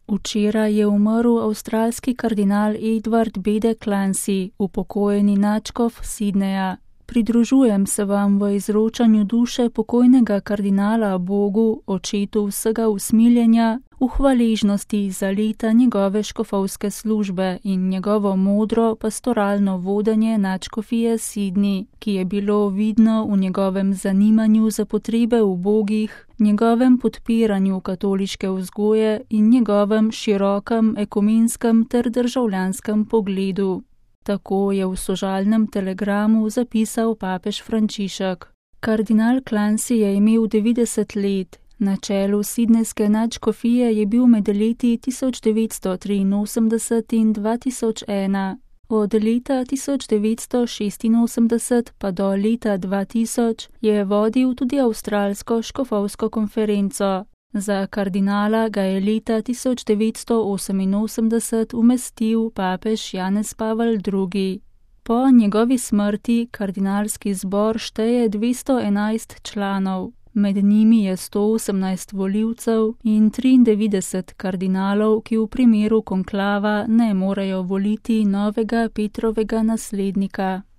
Včeraj je umrl avstralski kardinal Edward Bede Clancy, upokojeni nadškof Sydneyja. Pridružujem se vam v izročanju duše pokojnega kardinala Bogu, očetu vsega usmiljenja, v hvaležnosti za leta njegove škofovske službe in njegovo modro pastoralno vodenje nadškofije Sydney, ki je bilo vidno v njegovem zanimanju za potrebe ubogih, njegovem podpiranju katoliške vzgoje in njegovem širokem ekumenskem ter državljanskem pogledu. Tako je v sožalnem telegramu zapisal papež Frančišek. Kardinal Clancy je imel 90 let. Na čelu sydneyske nadškofije je bil med leti 1983 in 2001. Od leta 1986 pa do leta 2000 je vodil tudi avstralsko škofovsko konferenco. Za kardinala ga je leta 1988 umestil papež Janez Pavel II. Po njegovi smrti kardinalski zbor šteje 211 članov. Med njimi je 118 volivcev in 93 kardinalov, ki v primeru konklava ne morejo voliti novega Petrovega naslednika.